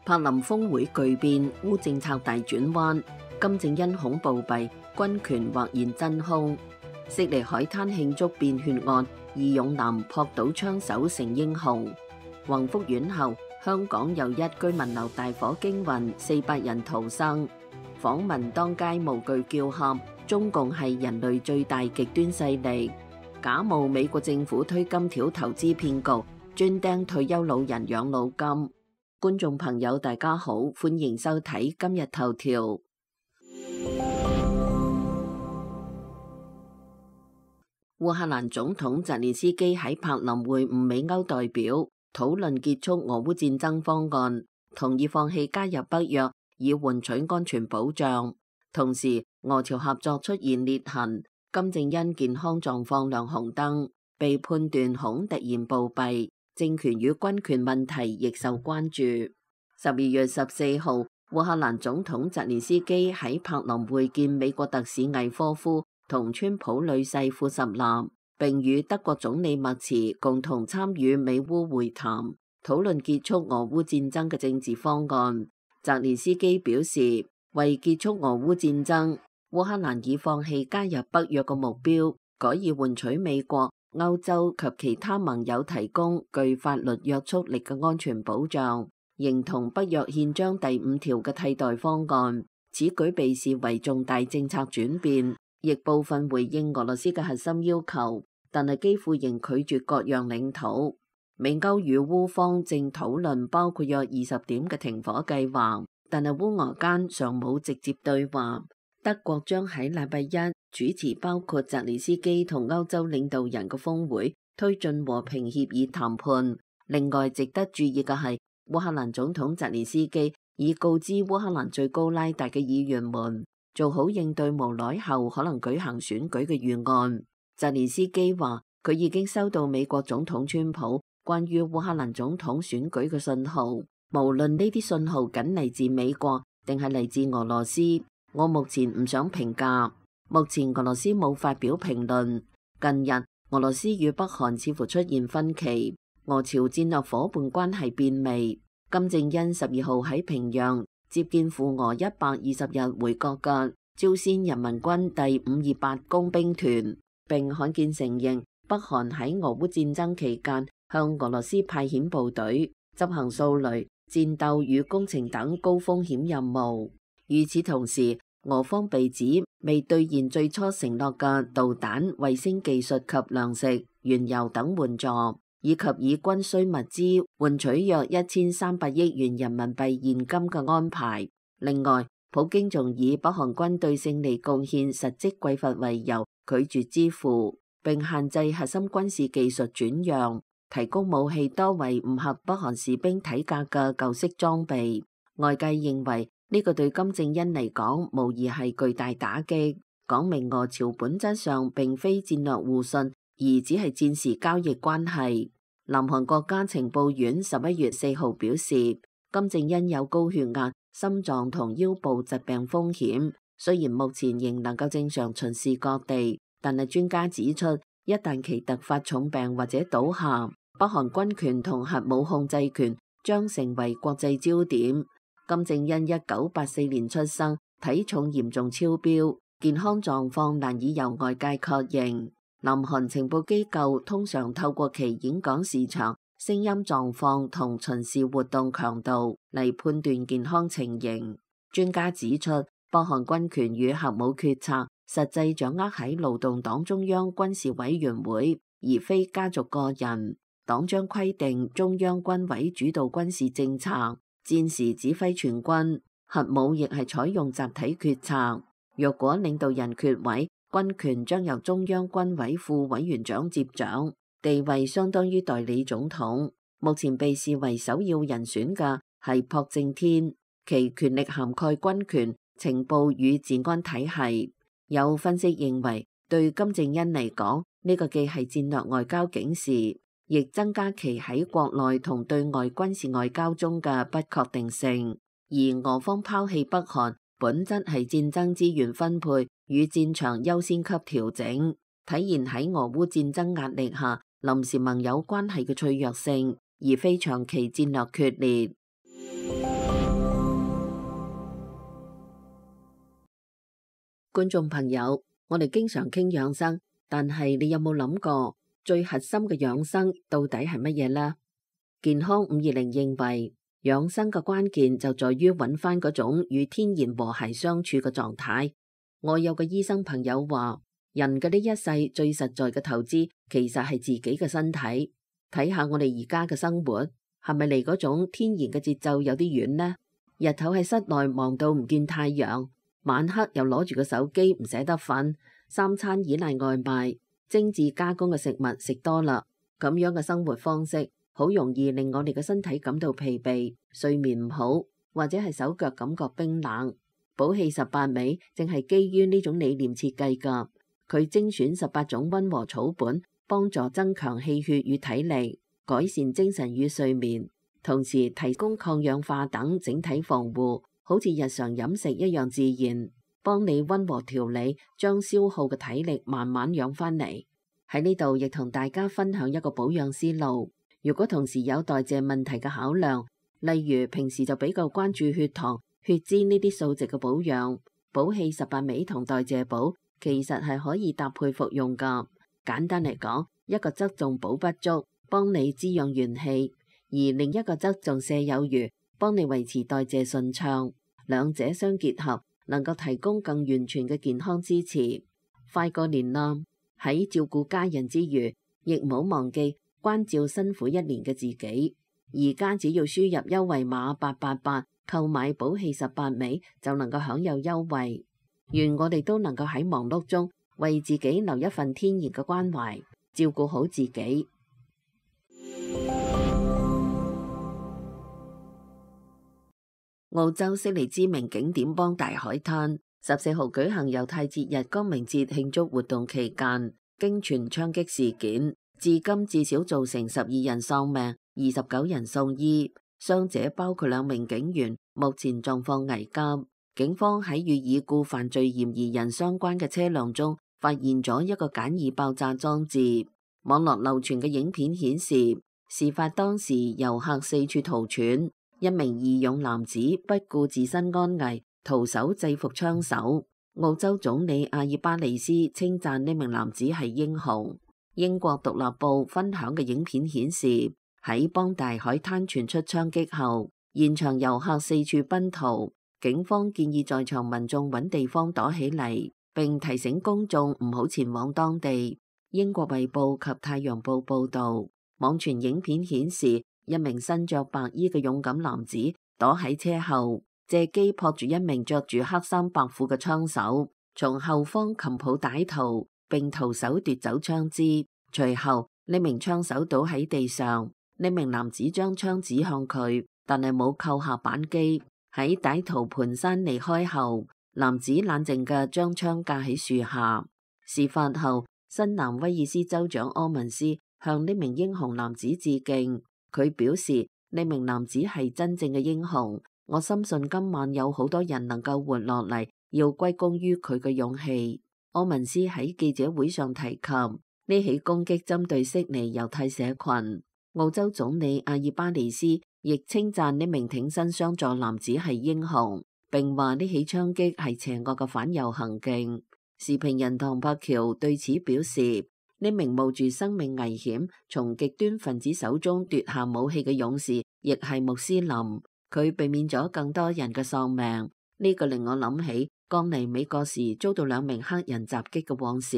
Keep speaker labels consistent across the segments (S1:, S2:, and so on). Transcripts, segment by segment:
S1: 柏林峰會巨變，烏政策大轉彎，金正恩恐暴斃，軍權或現真空。悉尼海灘慶祝變血案，義勇男撲倒槍手成英雄。宏福院後，香港又一居民樓大火驚魂，400人逃生。訪民當街無懼叫喊，中共係人類最大極端勢力，假冒美國政府推金條投資騙局，專釘退休老人養老金。觀眾朋友大家好，歡迎收睇今日頭條。烏克蘭總統澤連斯基喺柏林會晤美歐代表，討論結束俄烏戰爭方案，同意放棄加入北約以換取安全保障。同時，俄朝合作出現裂痕，金正恩健康狀況亮紅燈，被判斷恐突然暴斃。政權與軍權問題亦受關注。12月14號，烏克蘭總統澤連斯基喺柏林會見美國特使魏科夫同川普女婿庫什納，並與德國總理默茨共同參與美烏會談，討論結束俄烏戰爭嘅政治方案。澤連斯基表示，為結束俄烏戰爭，烏克蘭已放棄加入北約嘅目標，改以換取美國、歐洲及其他盟友提供具法律約束力嘅安全保障，認同北約憲章第5條嘅替代方案。此舉被視為重大政策轉變，亦部分回應俄羅斯嘅核心要求，但係基輔仍拒絕割讓領土。美歐與烏方正討論包括約20點嘅停火計劃，但係烏俄間尚冇直接對話。德國將喺禮拜一主持包括澤連斯基同歐洲領導人嘅峰會，推進和平協議談判。另外值得注意嘅係，烏克蘭總統澤連斯基已告知烏克蘭最高拉達嘅議員們，做好應對無耐後可能舉行選舉嘅預案。澤連斯基話，佢已經收到美國總統川普關於烏克蘭總統選舉嘅信號，無論呢啲信號僅嚟自美國定係嚟自俄羅斯，我目前唔想評價。目前俄羅斯冇發表評論。近日，俄羅斯與北韓似乎出現分歧，俄朝戰略夥伴關係變味。金正恩12號喺平壤接見赴俄120日回國嘅朝鮮人民軍第528工兵團，並罕見承認北韓喺俄烏戰爭期間向俄羅斯派遣部隊，執行掃雷、戰鬥與工程等高風險任務。與此同時，俄方被指未兌現最初承諾嘅導彈、衛星技術及糧食、原油等援助，以及以軍需物資換取約1300億元人民幣現金嘅安排。另外，普京仲以北韓軍對勝利貢獻實績匱乏為由，拒絕支付，並限制核心軍事技術轉讓，提供武器多為唔合北韓士兵體格嘅舊式裝備。外界認為呢個對金正恩嚟講無疑係巨大打擊，講明俄朝本質上並非戰略互信，而只係戰時交易關係。南韓國家情報院11月4號表示，金正恩有高血壓、心臟同腰部疾病風險，雖然目前仍能夠正常巡視各地，但係專家指出，一旦其突發重病或者倒下，北韓軍權同核武控制權將成為國際焦點。金正恩1984年出生，體重嚴重超標，健康狀況難以由外界確認。南韓情報機構通常透過其演講時長、聲音狀況同巡視活動強度嚟判斷健康情形。專家指出，北韓軍權與核武決策實際掌握喺勞動黨中央軍事委員會，而非家族個人。黨章規定中央軍委主導軍事政策，戰時指揮全軍，核武亦係採用集體決策。若果領導人缺位，軍權將由中央軍委副委員長接掌，地位相當於代理總統。目前被視為首要人選嘅係朴正天，其權力涵蓋軍權、情報與治安體系。有分析認為，對金正恩嚟講，呢個既係戰略外交警示，亦增加其喺國內同對外軍事外交中嘅不確定性。而俄方拋棄北韓，本質係戰爭資源分配與戰場優先級調整，體現喺俄烏戰爭壓力下臨時盟友關係嘅脆弱性，而非長期戰略決裂。觀眾朋友，我哋經常傾養生，但係你有冇諗過最核心嘅養生到底係乜嘢呢？健康520認為，養生嘅關鍵就在於揾翻嗰種與天然和諧相處嘅狀態。我有個醫生朋友話，人嘅呢一世最實在嘅投資，其實係自己嘅身體。睇下我哋而家嘅生活，係咪離嗰種天然嘅節奏有啲遠呢？日頭喺室內忙到唔見太陽，晚黑又攞住個手機唔捨得瞓，三餐依賴外賣，精緻加工嘅食物食多啦，咁樣嘅生活方式好容易令我哋嘅身體感到疲憊，睡眠唔好，或者係手腳感覺冰冷。補氣18味正係基於呢種理念設計㗎，佢精選18種溫和草本，幫助增強氣血與體力，改善精神與睡眠，同時提供抗氧化等整體防護，好似日常飲食一樣自然，幫你溫和調理，將消耗嘅體力慢慢養翻嚟。喺呢度亦同大家分享一個保養思路，如果同時有代謝問題嘅考量，例如平時就比較關注血糖、血脂呢啲數值嘅保養，補氣18味同代謝補其實係可以搭配服用㗎。簡單嚟講，一個側重補不足，幫你滋養元氣，而另一個側重瀉有餘，幫你維持代謝順暢。兩者相結合，能夠提供更完全嘅健康支持。快過年啦，喺照顧家人之餘，亦唔好忘記關照辛苦一年嘅自己。而家只要輸入優惠碼888，購買補氣18味就能夠享有優惠。願我哋都能夠喺忙碌中為自己留一份天然嘅關懷，照顧好自己。澳洲悉尼知名景點邦大海灘14號舉行猶太節日光明節慶祝活動期間，經傳槍擊事件，至今至少造成12人喪命，29人送醫，傷者包括2名警員，目前狀況危急。警方喺與已故犯罪嫌疑人相關嘅車輛中發現咗一個簡易爆炸裝置。網絡流傳嘅影片顯示，事發當時遊客四處逃竄，一名義勇男子不顧自身安危，徒手制服槍手。澳洲總理阿爾巴尼斯稱讚呢名男子係英雄。英國獨立報分享嘅影片顯示，喺邦大海灘傳出槍擊後，現場遊客四處奔逃。警方建議在場民眾揾地方躲起嚟，並提醒公眾唔好前往當地。英國衛報及太陽報報道，網傳影片顯示一名身着白衣嘅勇敢男子躲喺車後，借機撲住一名着住黑衫白褲嘅槍手，從後方擒抱歹徒，並徒手奪走槍支。隨後呢名槍手倒喺地上，呢名男子將槍指向佢，但係冇扣下扳機。喺歹徒蹣跚離開後，男子冷靜嘅將槍架喺樹下。事發後，新南威爾斯州長柯文斯向呢名英雄男子致敬。佢表示，呢名男子係真正嘅英雄，我深信今晚有好多人能夠活落嚟，要歸功於佢嘅勇氣。柯文斯喺記者會上提及呢起攻擊針對悉尼猶太社群。澳洲總理阿爾巴尼斯亦稱讚呢名挺身相助男子係英雄，並話呢起槍擊係邪惡嘅反猶行徑。時評人唐柏橋對此表示，呢名冒住生命危險從極端分子手中奪下武器嘅勇士，亦係穆斯林，佢避免咗更多人嘅喪命。呢個令我諗起剛嚟美國時遭到2名黑人襲擊嘅往事，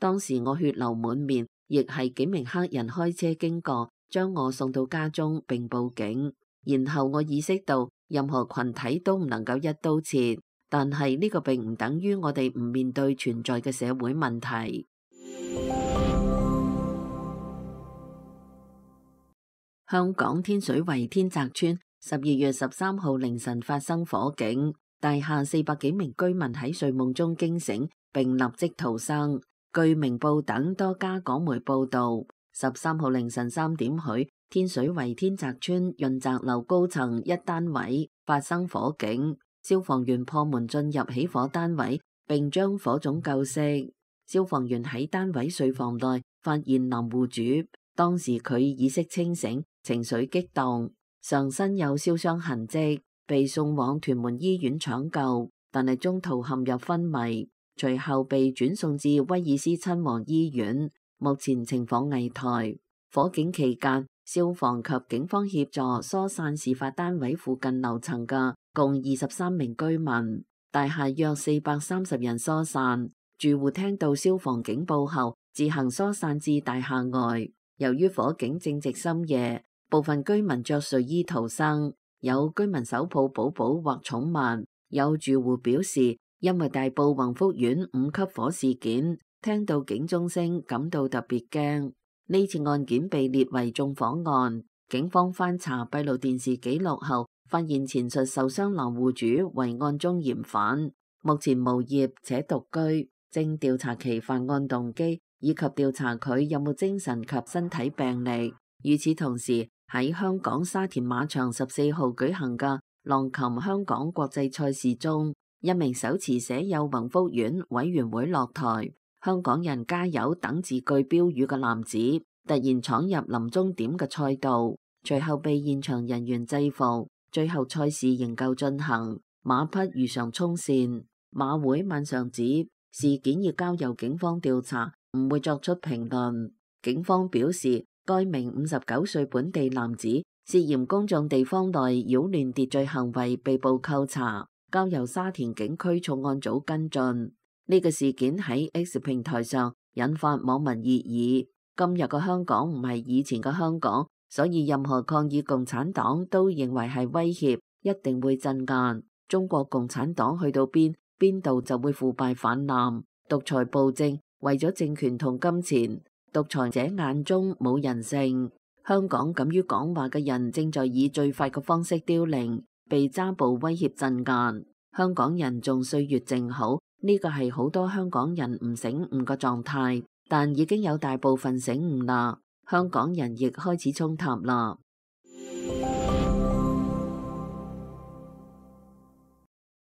S1: 當時我血流滿面，亦係幾名黑人開車經過，將我送到家中並報警，然後我意識到任何群體都唔能夠一刀切，但係呢個並唔等於我哋唔面對存在嘅社會問題。香港天水圍天澤村12月13號凌晨發生火警，大廈400幾名居民喺睡夢中驚醒，並立即逃生。據明報等多家港媒報道，13號凌晨3點許，天水圍天澤村潤澤樓高層一單位發生火警，消防員破門進入起火單位，並將火種救熄。消防員喺單位睡房內發現男戶主，當時佢意識清醒，情緒激動，上身有燒傷痕跡，被送往屯門醫院搶救，但係中途陷入昏迷。隨後被轉送至威爾斯親王醫院，目前情況危殆。火警期間，消防及警方協助疏散事發單位附近樓層嘅共23名居民，大廈約430人疏散。住戶聽到消防警報後，自行疏散至大廈外。由於火警正值深夜，部分居民着睡衣逃生，有居民手抱寶寶或寵物。有住戶表示，因為大埔宏福苑5級火事件，聽到警鐘聲感到特別驚。呢次案件被列為縱火案。警方翻查閉路電視記錄後，發現前述受傷男戶主為案中嫌犯，目前無業且獨居，正調查其犯案動機，以及調查佢有冇精神及身體病歷。與此同時，喺香港沙田馬場14號舉行嘅浪琴香港國際賽事中，一名手持寫有宏福苑委員會落台、香港人加油等字句標語嘅男子，突然闖入臨終點嘅賽道，隨後被現場人員制服。最後賽事仍舊進行，馬匹如常衝線。馬會晚上指事件要交由警方調查，唔會作出評論。警方表示，該名59歲本地男子涉嫌公眾地方內擾亂秩序行為被捕扣查，交由沙田警區重案組跟進。呢個事件喺 X 平台上引發網民熱議。今日嘅香港唔係以前嘅香港，所以任何抗議共產黨都認為係威脅，一定會鎮壓。中國共產黨去到邊度就會腐敗泛濫，獨裁暴政，為咗政權同金錢，獨裁者眼中冇人性。香港敢於講話嘅人正在以最快嘅方式凋零，被揸捕威脅鎮壓。香港人仲歲月靜好，呢個係好多香港人唔醒悟嘅狀態，但已經有大部分醒悟啦。香港人亦開始衝塔啦。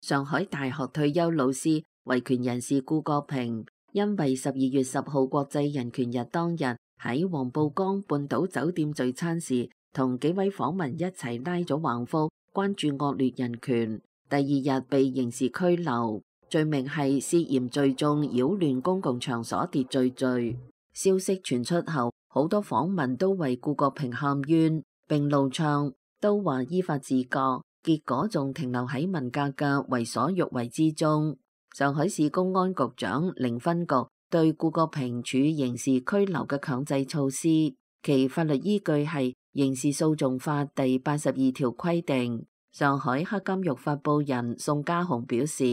S1: 上海大學退休老師、維權人士顧國平，因為12月10號國際人權日當日喺黃浦江半島酒店聚餐時，同幾位訪民一齊拉咗橫幅，關注惡劣人權。第二日被刑事拘留，罪名係涉嫌聚眾擾亂公共場所秩序罪。消息傳出後，好多訪民都為顧國平喊冤，並怒唱，都話依法治國。結果仲停留喺文革嘅為所欲為之中。上海市公安局長寧分局對顧國平處刑事拘留嘅強制措施，其法律依據係刑事訴訟法第82條規定。上海黑監獄發布人宋家雄表示，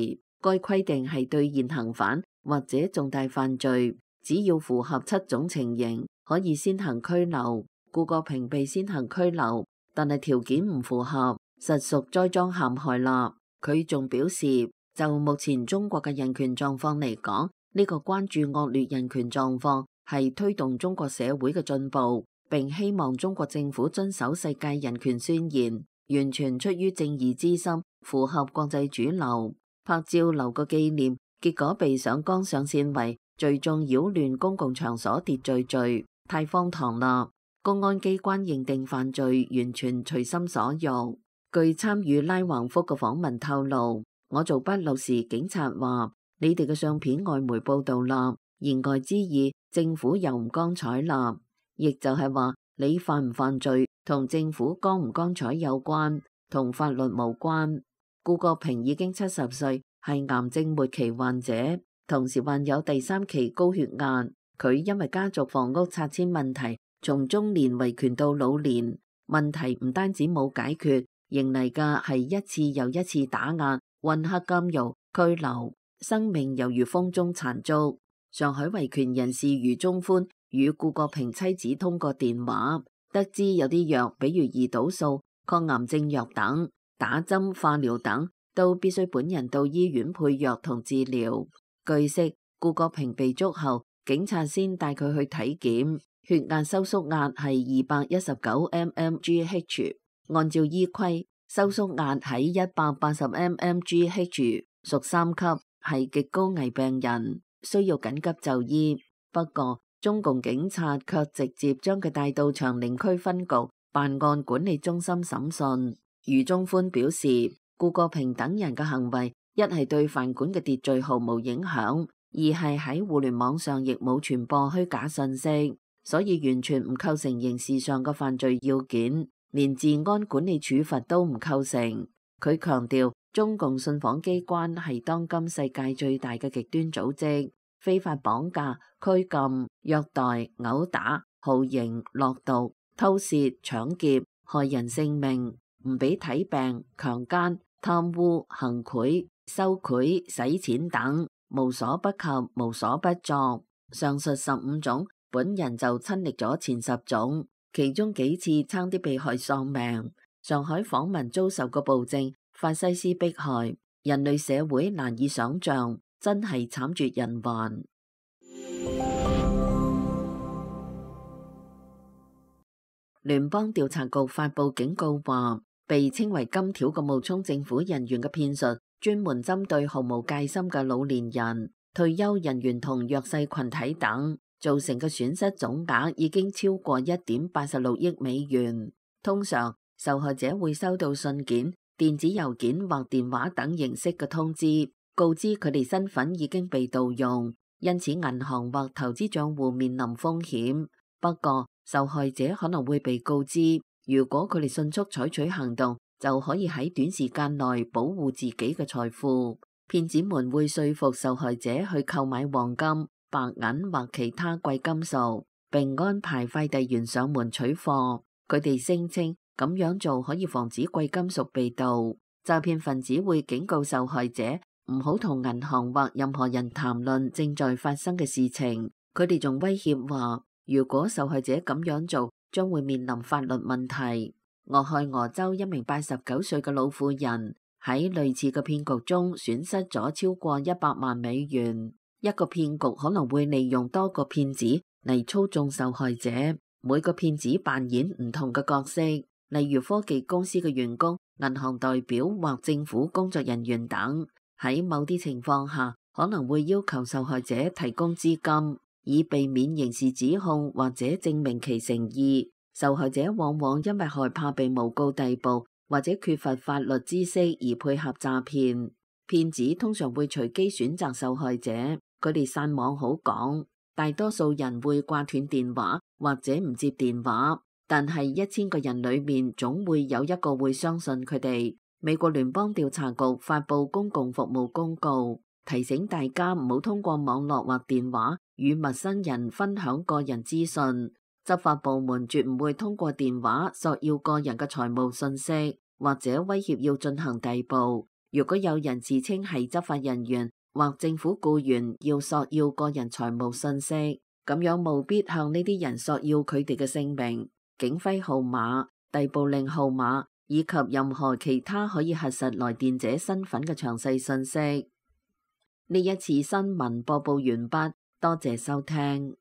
S1: 該規定係對現行犯或者重大犯罪，只要符合7種情形，可以先行拘留。顧國平被先行拘留，但係條件唔符合，實屬栽贓陷害啦。佢仲表示，就目前中國嘅人權狀況嚟講，呢個關注惡劣人權狀況係推動中國社會嘅進步，並希望中國政府遵守世界人權宣言，完全出於正義之心，符合國際主流。拍照留個紀念，結果被上綱上線為聚眾擾亂公共場所秩序罪，太荒唐啦！公安機關認定犯罪完全隨心所欲。據參與拉橫幅嘅訪民透露，我做筆錄時，警察話：你哋嘅相片外媒報道啦，言外之意，政府又唔光彩啦。亦就係話，你犯唔犯罪同政府光唔光彩有關，同法律無關。顧國平已經70歲，係癌症末期患者，同時患有第3期高血壓。佢因為家族房屋拆遷問題，從中年維權到老年，問題唔單止冇解決，迎嚟嘅係一次又一次打壓、混黑監獄、拘留，生命猶如風中殘燭。上海維權人士余中歡與顧國平妻子通過電話，得知有啲藥，比如胰島素、抗癌症藥等，打針、化療等，都必須本人到醫院配藥同治療。據悉，顧國平被捉後，警察先帶佢去體檢，血壓收縮壓係219 mmHg。按照醫規，收縮壓喺180 mmHg，屬3級，係極高危病人，需要緊急就醫。不過，中共警察卻直接將佢帶到長寧區分局辦案管理中心審訊。余中歡表示，顧國平等人嘅行為一係對飯館嘅秩序毫無影響，二係喺互聯網上亦冇傳播虛假信息，所以完全唔構成刑事上嘅犯罪要件，連治安管理處罰都唔構成。佢強調，中共信訪機關係當今世界最大嘅極端組織，非法綁架、拘禁、虐待、毆打、酷刑、落毒、偷竊、搶劫、害人性命、唔俾睇病、強姦、貪污、行賄、收賄、洗錢等，無所不及，無所不作。上述15種，本人就親歷咗前10種，其中幾次差啲被害喪命。上海訪民遭受嘅暴政、法西斯迫害，人類社會難以想象，真係慘絕人寰。聯邦調查局發布警告話，被稱為金條嘅冒充政府人員嘅騙術，專門針對毫無戒心嘅老年人、退休人員同弱勢群體等，造成嘅損失總額已經超過1.86億美元。通常受害者會收到信件、電子郵件或電話等形式嘅通知，告知佢哋身份已經被盜用，因此銀行或投資賬戶面臨風險。不過，受害者可能會被告知，如果佢哋迅速採取行動，就可以喺短時間內保護自己嘅財富。騙子們會說服受害者去購買黃金、白銀或其他貴金屬，並安排快遞員上門取貨。佢哋聲稱咁樣做可以防止貴金屬被盜。詐騙分子會警告受害者唔好同銀行或任何人談論正在發生嘅事情。佢哋仲威脅話，如果受害者咁樣做，將會面臨法律問題。俄亥俄州一名89歲嘅老婦人喺類似嘅騙局中損失咗超過100萬美元。一個騙局可能會利用多個騙子嚟操縱受害者，每個騙子扮演唔同嘅角色，例如科技公司嘅員工、銀行代表或政府工作人員等。喺某啲情況下，可能會要求受害者提供資金，以避免刑事指控或者證明其誠意。受害者往往因為害怕被誣告逮捕或者缺乏法律知識而配合詐騙。騙子通常會隨機選擇受害者，佢哋散網好廣，大多數人會掛斷電話或者唔接電話，但係1000個人裏面總會有一個會相信佢哋。美國聯邦調查局發布公共服務公告，提醒大家唔好通過網絡或電話與陌生人分享個人資訊。執法部門絕唔會通過電話索要個人嘅財務信息，或者威脅要進行逮捕。如果有人自稱係執法人員或政府僱員要索要個人財務信息，咁樣務必向呢啲人索要佢哋嘅姓名、警徽號碼、逮捕令號碼以及任何其他可以核實來電者身份嘅詳細信息。呢一次新聞播報完畢，多謝收聽。